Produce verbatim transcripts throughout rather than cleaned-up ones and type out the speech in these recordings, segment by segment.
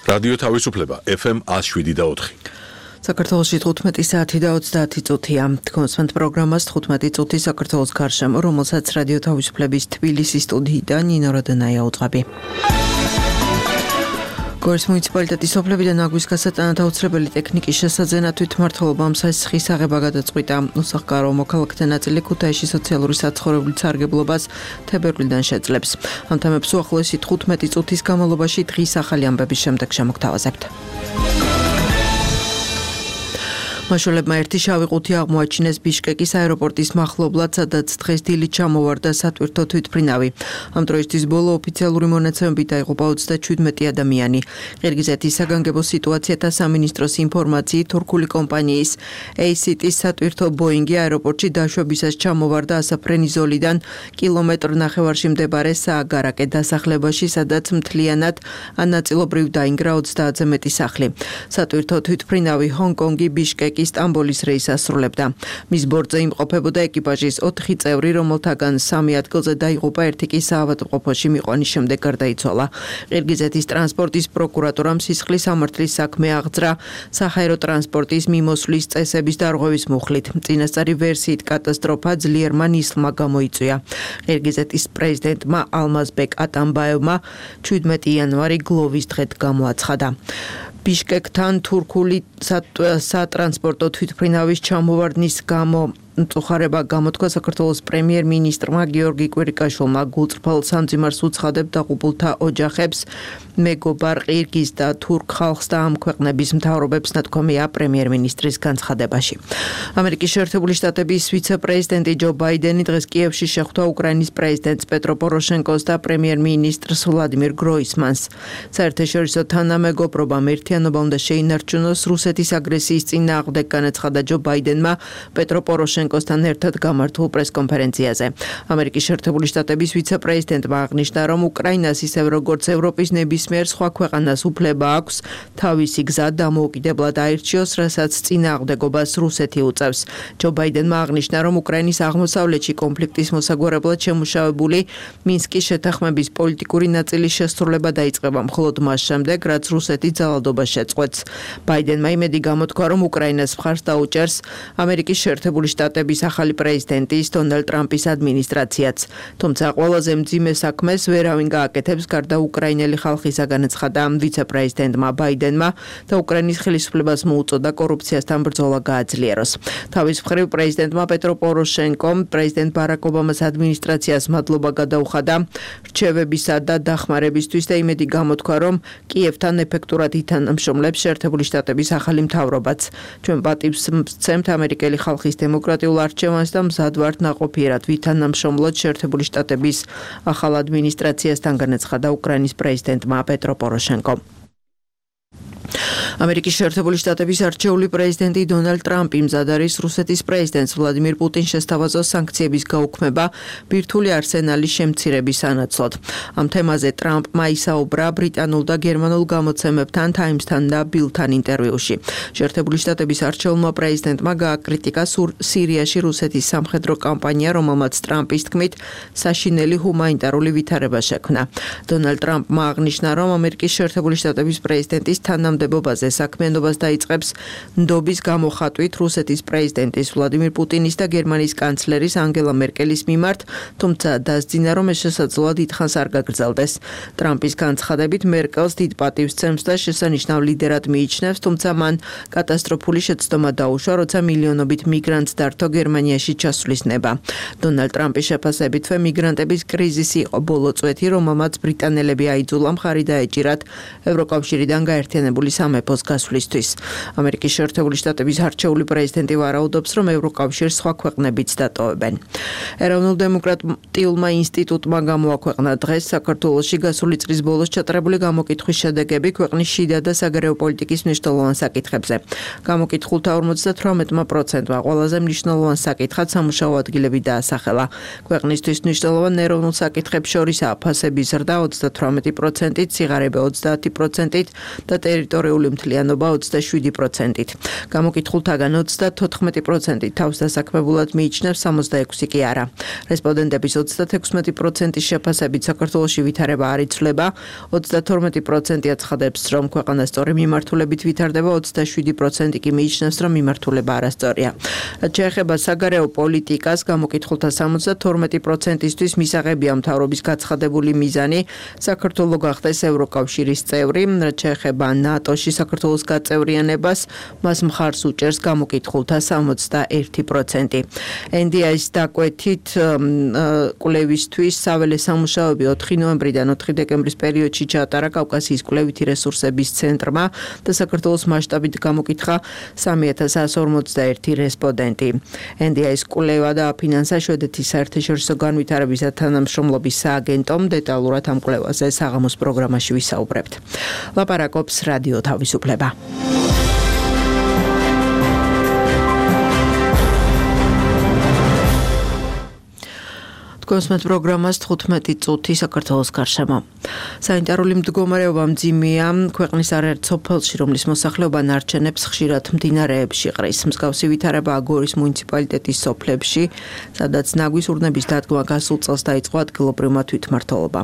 რადიო თავისუფლება ეფ ემ ათს შვიდი და ოთხი. საქართველოში თხუთმეტი საათი და ოცდაათი წუთია. თქვენსმენთ პროგრამას თხუთმეტი წუთი საქართველოს გარშემო, რომელსაც რადიო თავისუფლების თბილისის სტუდიიდან ნინო როდენაია უძღვები. გორის მუნიციპალიტეტის სოფლებიდან აგვის გასატანად აუცილებელი ტექნიკის შესაძენად თვითმმართველობამ სასიხის აღება გადაწყვიტა. უსახლკარო მოქალაქეთა ნაწილი ქუთაისში სოციალური საცხოვრებლის სარგებლობას თებერვლიდან შეძლებს. ამ თემებს უახლოესი თხუთმეტი წუთის განმავლობაში დღის ახალი ამბების შემდეგ შემოგთავაზებთ. მაშველებმა ერთი შავი ყუთი აღმოაჩინეს ბიშკეკის აეროპორტის მახლობლად, სადაც დღეს დილით ჩამოვარდა სატვირთო თვითმფრინავი. ამ დროისთვის ბოლო ოფიციალური მონაცემებით დაიღუპა ოცდაჩვიდმეტი ადამიანი. ყირგიზეთის საგანგებო სიტუაციათა სამინისტროს ინფორმაციით, თურქული კომპანიის ეი სი ტის სატვირთო ბოინგი აეროპორტში დაშვებისას ჩამოვარდა ასაფრენიზოლიდან კილომეტრ ნახევარში მდებარე სააგარაკე დასახლებაში, სადაც მთლიანად ან ნაწილობრივ დაინგრა ოცდაათზე მეტი სახლი. სატვირთო თვითმფრინავი ჰონგ-კონგი ბიშკეკ სტამბოლის რეისს ასრულებდა. მის ბორტზე იმყოფებოდა ეკიპაჟის ოთხი წევრი, რომელთაგან სამი ადგილზე დაიღუპა, ერთი კი საავადმყოფოში მიყვანის შემდეგ გარდაიცვალა. ყირგიზეთის ტრანსპორტის პროკურატურამ სისხლის სამართლის საქმე აღძრა საჰაერო ტრანსპორტის მიმოსვლის წესების დარღვევის მუხლით. წინასწარი ვერსიით კატასტროფა ძლიერმა ნისლმა გამოიწვია. ყირგიზეთის პრეზიდენტმა ალმაზბეკ ატამბაევმა ჩვიდმეტი იანვარი გლოვის დღედ გამოაცხადა. ბიშკეკთან თურქული სატრანსპორტო თვითმფრინავის ჩამოვარდნის გამო მწუხარება გამოთქვა საქართველოს პრემიერ-მინისტრმა გიორგი კვირიკაშვილმა. გულწრფელ სამძიმარს უცხადებ დაღუპულთა ოჯახებს, მეგობარ ყირგიზ და თურქ ხალხს და ამ ქვეყნების მთავრობებს, ნათქვამია პრემიერ-მინისტრის განცხადებაში. ამერიკის შეერთებული შტატების ვიცე-პრეზიდენტი ჯო ბაიდენი დღეს კიევში შეხვდა უკრაინის პრეზიდენტს პეტრო პოროშენკოს და პრემიერ-მინისტრს ვლადიმირ გროისმანს. საერთაშორისო თანამეგობრობამ ერთიანობა უნდა შეინარჩუნოს რუსეთის აგრესიის წინააღმდეგ, განაცხადა ჯო ბაიდენმა პეტრო პოროშენკოსთან ერთად გამართულ პრესკონფერენციაზე. ამერიკის შეერთებული შტატების ვიცე-პრეზიდენტმა აღნიშნა, რომ უკრაინას ისევ როგორც ევროპის ნებისმიერ სხვა ქვეყანას უფლება აქვს თავისი გზა დამოუკიდებლად აირჩიოს, რასაც წინააღმდეგობას რუსეთი უწევს. ჯო ბაიდენმა აღნიშნა, რომ უკრაინის აღმოსავლეთში კონფლიქტის მოსაგვარებლად შემუშავებული მინსკის შეთანხმების პოლიტიკური ნაწილის შესრულება დაიწყება მხოლოდ მას შემდეგ, რაც რუსეთი ძალადობას შეწყვეტს. ბაიდენმა იმედი გამოთქვა, რომ უკრაინას მხარს დაუჭერს ამერიკის შეერთებული შტატების ახალი პრეზიდენტის დონალდ ტრამპის ადმინისტრაციაც. თუმცა ყველაზე მძიმე საქმეს ვერავინ გააკეთებს გარდა უკრაინელი ხალხისა, განაცხადა ვიცე-პრეზიდენტმა ბაიდენმა და უკრაინის ხელისუფლებას მოუწოდა კორუფციასთან ბრძოლა გააძლიეროს. თავის მხრივ პრეზიდენტმა პეტრო პოროშენკომ პრეზიდენტ ბარაკ ობამას ადმინისტრაციას მადლობა გადაუხადა რჩევებისა და დახმარებისთვის და იმედი გამოთქვა, რომ კიევთან ეფექტურად ითანამშრომლებს შეერთებული შტატების ახალი მთავრობაც. ჩვენ პატივს ვცემთ ამერიკელი ხალხის დემოკრატიულ არჩევანს და მზად ვართ ნაყოფიერად ვითანამშრომლოთ შეერთებული შტატების ახალ ადმინისტრაციასთან, განაცხადა უკრაინის პრეზიდენტმა პეტრო პოროშენკომ. ამერიკის შეერთებული შტატების არჩეული პრეზიდენტი დონალდ ტრამპი მზად არის რუსეთის პრეზიდენტს ვლადიმირ პუტინს შესთავაზოს სანქციების გაუქმება ბირთვული არსენალის შემცირების სანაცვლოდ. ამ თემაზე ტრამპმა ისაუბრა ბრიტანულ და გერმანულ გამოცემებთან, ტაიმსთან და ბილთან ინტერვიუში. შეერთებული შტატების არჩეულმა პრეზიდენტმა გააკრიტიკა სირიაში რუსეთის სამხედრო კამპანია, რომელმაც ტრამპის თქმით საშინელი ჰუმანიტარული ვითარება შექმნა. დონალდ ტრამპმა აღნიშნა, რომ ამერიკის შეერთებული შტატების პრეზიდენტის თანამდებობაზე საქმიანობას დაიწყებს ნდობის გამოხატვით რუსეთის პრეზიდენტის ვლადიმირ პუტინის და გერმანიის კანცლერის ანგელა მერკელის მიმართ, თუმცა დასძინა, რომ ეს შესაძლოა დიდხანს არ გაგრძელდეს. ტრამპის განცხადებით მერკელს დიდ პატივს სცემს და შესანიშნავ ლიდერად მიიჩნევს, თუმცა მან კატასტროფული შეცდომა დაუშვა, როცა მილიონობით მიგრანტს დართო გერმანიაში ჩასვლის ნება. დონალდ ტრამპის შეფასებითვე მიგრანტების კრიზისი იყო ბოლო წვეთი, რომელმაც ბრიტანელები აიძულა მხარი დაეჭირათ ევროკავშირიდან გაერთიანებული სამეფოს გასვლისთვის. ამერიკის შეერთებული შტატების არჩეული პრეზიდენტი ვარაუდობს, რომ ევროკავშირს სხვა ქვეყნებიც დატოვებენ. ეროვნულ დემოკრატიულმა ინსტიტუტმა გამოაქვეყნა დღეს საქართველოში გასული წლის ბოლოს ჩატარებული გამოკითხვის შედეგები ქვეყნის შიდა და საგარეო პოლიტიკის მნიშვნელოვან საკითხებზე. გამოკითხულთა ორმოცდათვრამეტ პროცენტმა ყველაზე მნიშვნელოვან საკითხად სამუშაო ადგილები დაასახელა. ქვეყნისთვის მნიშვნელოვან ეროვნულ საკითხებს შორისაა ფასების ზრდა ოცდათვრამეტი პროცენტით, სიღარიბე ოცდაათი პროცენტით და ტერიტორიული მოხალისიანობა ოცდაშვიდი პროცენტით. გამოკითხულთაგან ოცდათოთხმეტი პროცენტი თავს დასაქმებულად მიიჩნევს, სამოცდაექვსი კი არა. რესპონდენტების ოცდათექვსმეტი პროცენტის შეფასებით საქართველოში ვითარება არ იცვლება, ოცდათორმეტი პროცენტი აცხადებს, რომ ქვეყანა სწორი მიმართულებით ვითარდება, ოცდაშვიდი პროცენტი კი მიიჩნევს, რომ მიმართულება არასწორია. რაც შეეხება საგარეო პოლიტიკას, გამოკითხულთა სამოცდათორმეტი პროცენტისთვის მისაღებია მთავრობის გაცხადებული მიზანი საქართველო გახდეს ევროკავშირის წევრი. რაც შეეხება ნატოში საქართველოს გაწევრიანებას, მას მხარს უჭერს გამოკითხულთა სამოცდაერთი პროცენტი. ენ დი აის დაკვეთით კვლევისთვის საველე სამუშაოები ოთხი ნოემბრიდან ოთხი დეკემბრის პერიოდში ჩაატარა კავკასიის კვლევითი რესურსების ცენტრმა და საქართველოს მასშტაბით გამოკითხა სამი ათას εκατო ორმოცდაერთი რესპონდენტი. ენ დი აის კვლევა დააფინანსა შვედეთის საერთაშორისო განვითარების და თანამშრომლობის სააგენტომ. დეტალურად ამ კვლევაზე საღამოს პროგრამაში ვისაუბრებთ. ლაპარაკობს რადიო თავისუფლება. კონსმეთ პროგრამას თხუთმეტი წუთი საქართველოს გარშემო. სანიტარული მდგომარეობა მძიმეა ქვეყნის არაერთ სოფელში, რომლის მოსახლეობა ნარჩენებს ხშირად მდინარეებში ყრის. მსგავსი ვითარებაა გორის მუნიციპალიტეტის სოფლებში, სადაც ნაგვის ურნების დადგმა გასულ წელს დაიწყო ადგილობრივმა თვითმმართველობა.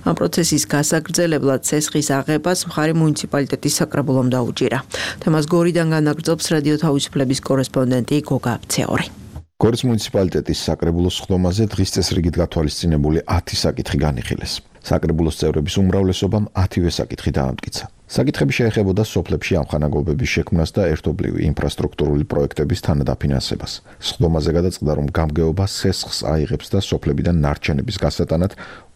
ამ პროცესის გასაგრძელებლად ცესხის აღებას მხარი მუნიციპალიტეტის საკრებულომ დაუჭირა. თემას გორიდან განაგრძობს რადიო თავისუფლების კორესპონდენტი გოგა აბცეორი. გორის მუნიციპალიტეტის საკრებულოს სხდომაზე დღის წესრიგით გათვალისწინებული ათი საკითხი განიხილეს. საკრებულოს წევრების უმრავლესობამ ათივე საკითხი დაამტკიცა. საკითხები შეეხებოდა სოფლებში ამხანაგობების შექმნას და ერთობლივი ინფრასტრუქტურული პროექტების თანადაფინანსებას. სხდომაზე გადაწყდა, რომ გამგეობა სესხს აიღებს და სოფლებიდან ნარჩენების გასატანად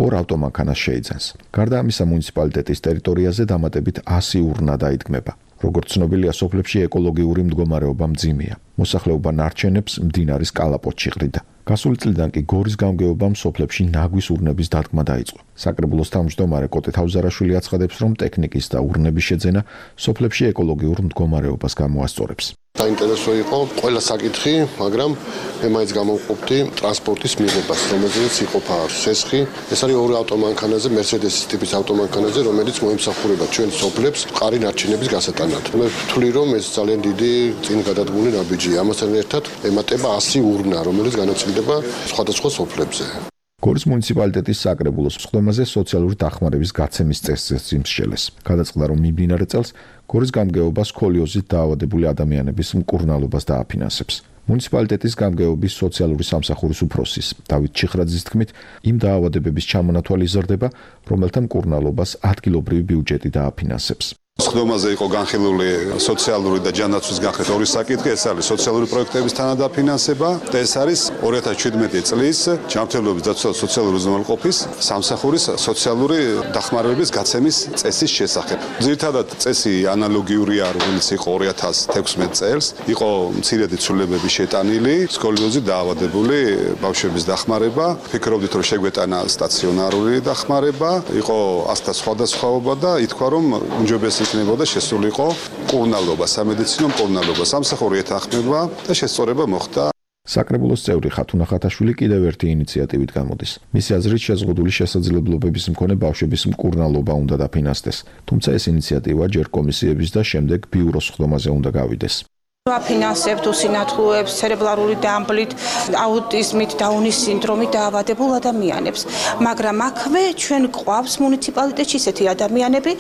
ორ ავტომანქანას შეიძენს. გარდა ამისა, მუნიციპალიტეტის ტერიტორიაზე დამატებით ასი ურნა დაიდგმება. როგორც ცნობილია, სოფლებში ეკოლოგიური მდგომარეობა მძიმეა. მოსახლეობა ნარჩენებს მდინარის კალაპოტში ყრიდა. გასული წლიდან კი გორის გამგეობამ სოფლებში ნაგვის ურნების დადგმა დაიწყო. საკრებულოს თავმჯდომარე კოტე თავზარაშვილი აცხადებს, რომ ტექნიკის და ურნების შეძენა სოფლებში ეკოლოგიურ მდგომარეობას გამოასწორებს. საინტერესო იყო ყველა საკითხი, მაგრამ მე მაინც გამოვყოფდი ტრანსპორტის მიღებას, რომელზეც იყოფა სესხი. ეს არის ორი ავტომანქანაზე, მერსედესის ტიპის ავტომანქანაზე, რომელიც მოიმსახურება ჩვენ სოფლებს მყარი ნარჩენების გასატანად. მე ვთვლი, რომ ეს ძალიან დიდი წინ გადადგმული ნაბიჯია. ამასთან ერთად ემატება ასი ურნა, რომელიც განაწილდება სხვადასხვა სოფლებზე. გორის მუნიციპალიტეტის საკრებულოს სხდომაზე სოციალური დახმარების გაცემის წესზეც იმსჯელეს. გადაწყდა, რომ მიმდინარე წელს გორის გამგეობა სკოლიოზით დაავადებული ადამიანების მკურნალობას დააფინანსებს. მუნიციპალიტეტის გამგეობის სოციალური სამსახურის უფროსის დავით ჩიხრაძის თქმით, იმ დაავადებების ჩამონათვალი იზრდება, რომელთა მკურნალობას ადგილობრივი ბიუჯეტი დააფინანსებს. სხდომაზე იყო განხილული სოციალური და ჯანდაცვის განხილვის ორი საკითხი, ეს არის სოციალური პროექტების თანადაფინანსება და ეს არის ორი ათას შვიდმეტი წლის ჯანმრთელობის დაცვა და სოციალური უზრუნველყოფის სამსახურის სოციალური დახმარებების გაცემის წესის შესახებ. ძირითადად წესი ანალოგიურია, რომელიც იყო ორი ათას თექვსმეტ წელს, იყო მცირედი ცვლილებები შეტანილი, სკოლიოზით დაავადებული ბავშვების დახმარება, ფიქრობდით, რომ შეგვეტანა სტაციონარული დახმარება, იყო ასთა სხვადასხვაობა და ითქვა, რომ უმჯობესი იქნებოდა შესულიყო მკურნალობა, სამედიცინო მკურნალობა, სამსახური ეთანხმება და შესწორება მოხდა. საკრებულოს წევრი ხათუნა ხათაშვილი კიდევ ერთი ინიციატივით გამოდის. მისი აზრით, შეზღუდული შესაძლებლობების მქონე ბავშვების მკურნალობა უნდა დაფინანსდეს, თუმცა ეს ინიციატივა ჯერ კომისიების და შემდეგ ბიუროს სხდომაზე უნდა გავიდეს. ვაფინანსებთ უსინათლოებს, ცერებრალური დამბლით, აუტიზმით, დაუნის სინდრომით დაავადებულ ადამიანებს. მაგრამ აქვე ჩვენ გვყავს მუნიციპალიტეტში ესეთი ადამიანები,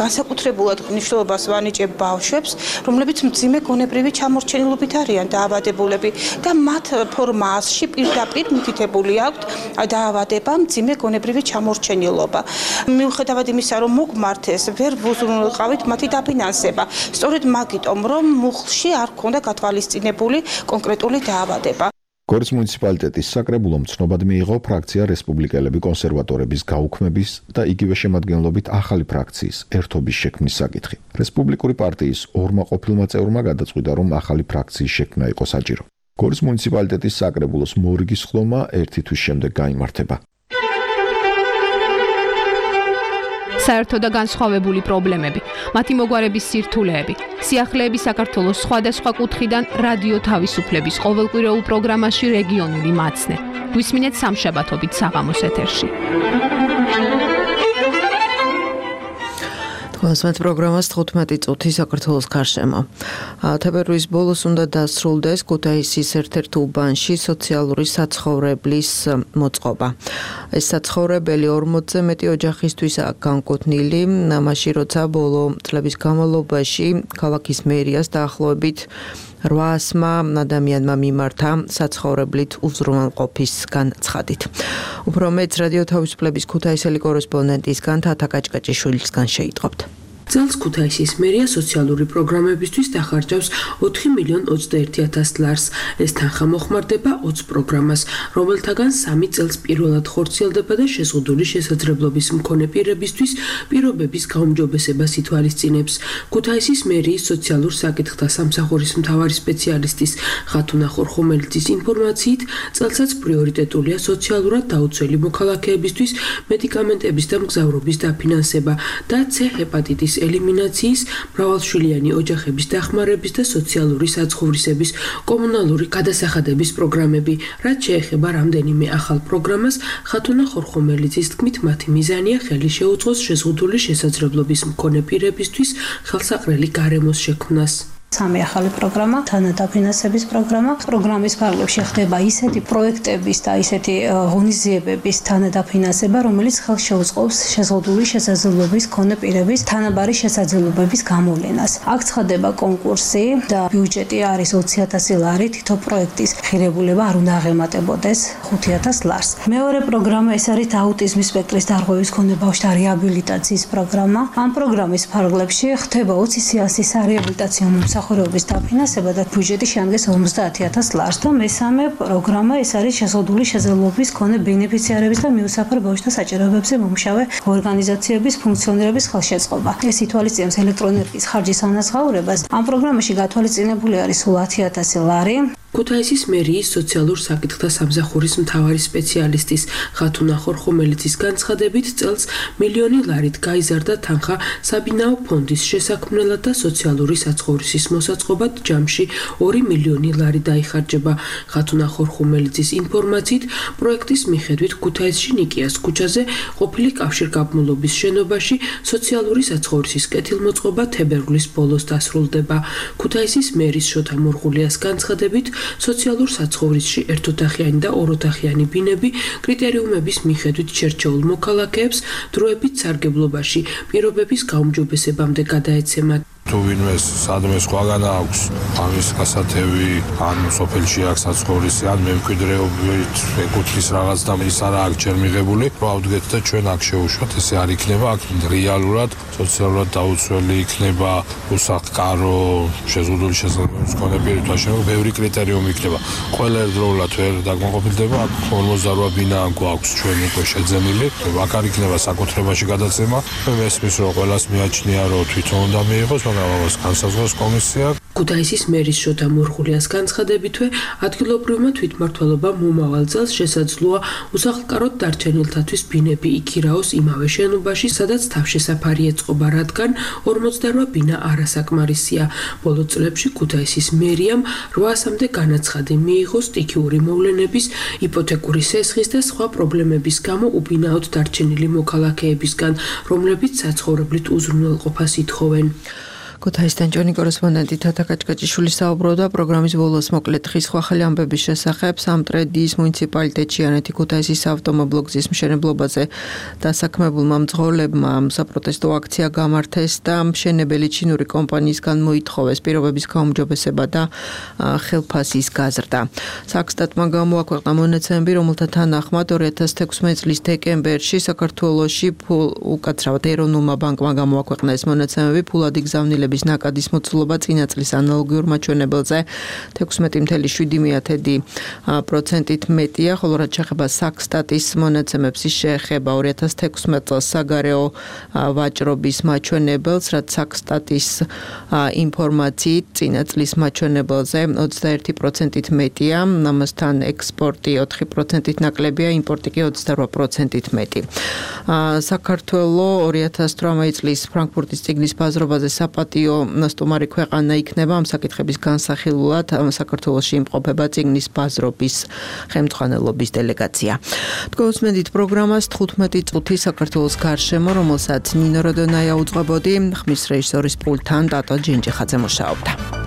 განსაკუთრებულად მნიშვნელობას ვანიჭებ ბავშვებს, რომლებიც მძიმე გონებრივი ჩამორჩენილობით არიან დაავადებულები და მათ ფორმაში პირდაპირ მითითებული აქვთ დაავადება, მძიმე გონებრივი ჩამორჩენილობა. მიუხედავად იმისა, რომ მოგმართეს, ვერ ვუზრუნველყავით მათი დაფინანსება. სწორედ მაგიტომ, რომ მუხლში არ ქონდა გათვალისწინებული კონკრეტული დაავადება. გორის მუნიციპალიტეტის საკრებულომ ცნობად მიიღო ფრაქცია რესპუბლიკელები კონსერვატორების გაუქმების და იგივე შემადგენლობით ახალი ფრაქციის ერთობის შექმნის საკითხი. რესპუბლიკური პარტიის ორმა ყოფილმა წევრმა გადაწყვიტა, რომ ახალი ფრაქციის შექმნა იყო საჭირო. გორის მუნიციპალიტეტის საკრებულოს მორიგის ხდომა ერთი თვის შემდეგ გაიმართება. საერთო და განსხვავებული პრობლემები, მათი მოგვარების სირთულეები, სიახლეები საქართველოს სხვადასხვა კუთხიდან რადიო თავისუფლების ყოველკვირეულ პროგრამაში რეგიონული მაცნე. გვისმინეთ სამშაბათობით საღამოს ეთერში. მოსმენთ პროგრამას თხუთმეტი წუთი საქართველოს გარშემო. თებერვლის ბოლოს უნდა დასრულდეს ქუთაისის ერთ-ერთ უბანში სოციალური საცხოვრებლის მოწყობა. ეს საცხოვრებელი ორმოცზე მეტი ოჯახისთვისაა განკუთვნილი, მაშინ როცა ბოლო წლების განმავლობაში ქალაქის მერიას დაახლოებით რვაასმა ადამიანმა მიმართა საცხოვრებლით უზრუნველყოფის განცხადით. უფრო მეტს რადიო თავისუფლების ქუთაისელი კორესპონდენტისგან თათა კაჭკაჭიშვილისგან შეიტყობთ. წელს ქუთაისის მერია სოციალური პროგრამებისთვის დახარჯავს ოთხი მილიონი ოცდაერთი ათასი ლარს. ეს თანხა მოხმარდება ოცი პროგრამას, რომელთაგან სამი წელს პირველად ხორციელდება და შეზღუდული შესაძლებლობის მქონე პირებისთვის პირობების გაუმჯობესებას ითვალისწინებს. ქუთაისის მერიის სოციალურ საკითხთა სამსახურის მთავარი სპეციალისტის ხათუნა ხორხომელიძის ინფორმაციით, წელსაც პრიორიტეტულია სოციალურად დაუცველი მოქალაქეებისთვის მედიკამენტების და მგზავრობის დაფინანსება და C ჰეპატიტის ელიმინაციის, მრავალშვილიანი ოჯახების დახმარების და სოციალური საცხოვრისების კომუნალური გადასახადების პროგრამები. რაც შეეხება რამდენიმე ახალ პროგრამას, ხათუნა ხორხომელიძის თქმით, მათი მიზანია ხელი შეუწყოს შეზღუდული შესაძლებლობის მქონე პირებისთვის ხელსაყრელი გარემოს შექმნას. სამი ახალი პროგრამა, თანადაფინანსების პროგრამა. პროგრამის ფარგლებში ხდება ისეთი პროექტების და ისეთი ღონისძიებების თანადაფინანსება, რომელიც ხელს შეუწყობს შეზღუდული შესაძლებლობის მქონე პირების თანაბარი შესაძლებლობების გამოვლენას. აქ ცხადდება კონკურსი და ბიუჯეტი არის ოცი ათასი ლარი, თითო პროექტის ღირებულება არ უნდა აღემატებოდეს ხუთი ათასი ლარს. მეორე პროგრამა ეს არის აუტიზმის სპექტრის დარღვევის მქონე ბავშვთა რეაბილიტაციის პროგრამა. ამ პროგრამის ფარგლებში ხდება ოცი სიასის რეაბილიტაციო მსახურების დაფინანსება და ბიუჯეტი შეადგენს ორმოცდაათი ათასი ლარს და მესამე პროგრამა ეს არის შეზღუდული შესაძლებლობის მქონე ბენეფიციარების და მიუსაფრ ბავშვთა საჭიროებებზე მომუშავე ორგანიზაციების ფუნქციონირების ხელშეწყობა. ეს ითვალისწინებს ელექტროენერგიის ხარჯის ანაზღაურებას. ამ პროგრამაში გათვალისწინებული არის სულ ათი ათასი ლარი. ქუთაისის მერიის სოციალურ საკითხთა სამსახურის მთავარი სპეციალისტის ხათუნა ხორხომელიძის განცხადებით, წელს მილიონი ლარით გაიზარდა თანხა საბინაო ფონდის შესაქმნელად და სოციალური საცხოვრისის მოსაწყობად ჯამში ორი მილიონი ლარი დაიხარჯება. ხათუნა ხორხომელიძის ინფორმაციით, პროექტის მიხედვით ქუთაისში ნიკიას ქუჩაზე ყოფილი კავშირგაბმულობის შენობაში სოციალური საცხოვრისის კეთილმოწყობა თებერვლის ბოლოს დასრულდება. ქუთაისის მერის შოთა მურღულიას განცხადებით, სოციალურ საცხოვრისში ერთოთახიანი და ოროთახიანი ბინები კრიტერიუმების მიხედვით შერჩეულ მოქალაქეებს დროებით სარგებლობაში პირობების გაუმჯობესებამდე გადაეცემათ. თუ ვინმე სადმე სხვაგან აქვს ამის გასათევი, ან სოფელში აქვს საცხოვრისი, ან მემკვიდრეობით ეკუთვნის რაღაც და ის არა აქვს ჯერ მიღებული, რომ ავდგეთ და ჩვენ აქ შევუშვათ, ესე არ იქნება, აქ რეალურად სოციალურად დაუცველი იქნება, უსახლკარო, შეზღუდული შესაძლებლობის მქონე პირთა შემოგ ბევრი კრიტერიუმი იქნება. ყველა ერთდროულად ვერ დაკმაყოფილდება, აქ ორმოცდარვა ბინა გვაქვს ჩვენ უკვე შეძენილი, აქ არ იქნება საკუთრებაში გადაცემა. მე მესმის რომ ყველას მიაჩნია რომ თვითონ უნდა მიიღოს, ამას განსაზღვროს კომისია. ქუთაისის მერის შოთა მურღულიას განცხადებითვე, ადგილობრივმა თვითმმართველობამ მომავალ წელს შესაძლოა უსახლკაროდ დარჩენილთათვის ბინები იქირაოს იმავე შენობაში, სადაც თავშესაფარი ეწყობა, რადგან ორმოცდარვა ბინა არასაკმარისია. ბოლო წლებში ქუთაისის მერიამ რვაასამდე განაცხადი მიიღო სტიქიური მოვლენების, იპოთეკური სესხის და სხვა პრობლემების გამო უბინაოდ დარჩენილი მოქალაქეებისგან, რომლებიც საცხოვრებლით უზრუნველყოფას ითხოვენ. ქუთაისთან ჩვენი კორესპონდენტი თათა კაჭკაჭიშვილი საუბრობდა პროგრამის ბოლოს მოკლედ ხის ხვახელი ამბების შესახებ სამტრედიის მუნიციპალიტეტში ანეთი ქუთაისის ავტომობილო გზის მშენებლობაზე დასაქმებულმა მძღოლებმა საპროტესტო აქცია გამართეს და მშენებელი ჩინური კომპანიისგან მოითხოვეს პირობების გაუმჯობესება და ხელფასის გაზრდა. საქსტატმა გამოაქვეყნა მონაცემები, რომელთა თანახმად ორი ათასი თექვსმეტი წლის დეკემბერში საქართველოში უკაცრავად ეროვნულმა ბანკმა გამოაქვეყნა ეს მონაცემები ფულადი გზავნილების ნაკადის მოცულობა წინა წლის ანალოგიურ მაჩვენებელზე თექვსმეტი წუთი შვიდი პროცენტით მეტია, ხოლო რაც შეეხება საქსტატის მონაცემებს, ის შეეხება ორი ათასი თექვსმეტი წელს საგარეო ვაჭრობის მაჩვენებელს, რაც საქსტატის ინფორმაციით წინა წლის მაჩვენებელზე ოცდაერთი პროცენტით მეტია, ამასთან ექსპორტი ოთხი პროცენტით ნაკლებია, იმპორტი კი ოცდარვა პროცენტით მეტი. საქართველოს ორი ათასი თვრამეტი წლის ფრანკფურტის წიგნის ბაზრობაზე საპატიო საპატიო სტუმარი ქვეყანა იქნება ამ საკითხების განსახილულად საქართველოში იმყოფება წიგნის ბაზრობის ხელმძღვანელობის დელეგაცია. თქვენსმენდით პროგრამას თხუთმეტი წუთი საქართველოს გარშემო, რომელსაც ნინო როდონაია უძღვებოდი, ხმის რეჟისორის პულტთან დატო ჯინჯიხაძე მუშაობდა.